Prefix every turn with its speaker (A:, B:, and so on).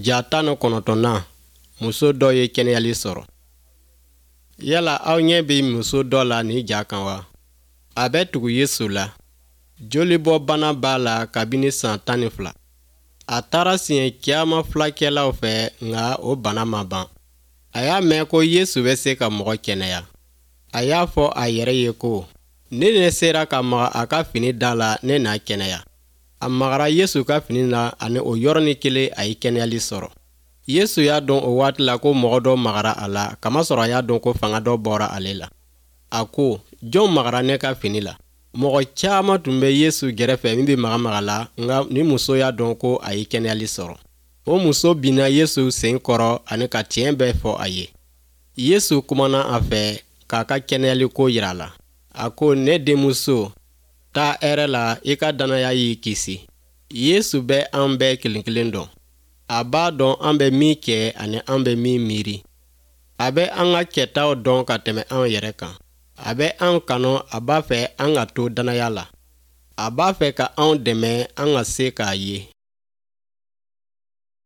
A: Ja 19nan, muso dɔ ye kɛnɛyali sɔrɔ. Yala aw ɲɛ bɛ muso dɔ la nin ja kan wa? A bɛ tugu Yesu la. Jolibɔbana b'a la kabini san 12. A taara siɲɛ caman fulakɛlaw fɛ, nka o bana ma ban. A y'a mɛn ko Yesu bɛ se ka mɔgɔ kɛnɛya. A y'a fɔ a yɛrɛ ye ko, ni ne sera ka maga a ka fini da la, ne na kɛnɛya. A magara Yesu ka fini na ani o yɔrɔnin kelen a ye kɛnɛyali sɔrɔ. Yesu y'a dɔn o waati la ko mɔgɔ dɔ magara a la, kamasɔrɔ a y'a dɔn ko fanga dɔ bɔra ale la. A ko, jɔn magara ne ka fini la? Mɔgɔ caman tun bɛ Yesu gɛrɛfɛ min bɛ maga-maga la, nka ni muso y'a dɔn ko a ye kɛnɛyali sɔrɔ. O muso binna Yesu sen kɔrɔ ani ka tiɲɛ bɛɛ fɔ a ye. Yesu kumana a fɛ k'a ka kɛnɛyali ko jira a la. A ko, ne denmuso, taa hɛrɛ la, i ka dannaya y'i kisi. Yesu bɛ an bɛɛ kelen kelen dɔn. A b'a dɔn an bɛ min kɛ ani an bɛ min miiri. A bɛ an ka kɛtaw dɔn ka tɛmɛ an yɛrɛ kan. A bɛ an kanu, a b'a fɛ an ka to dannaya la. A b'a fɛ ka anw dɛmɛ an ka se k'a ye.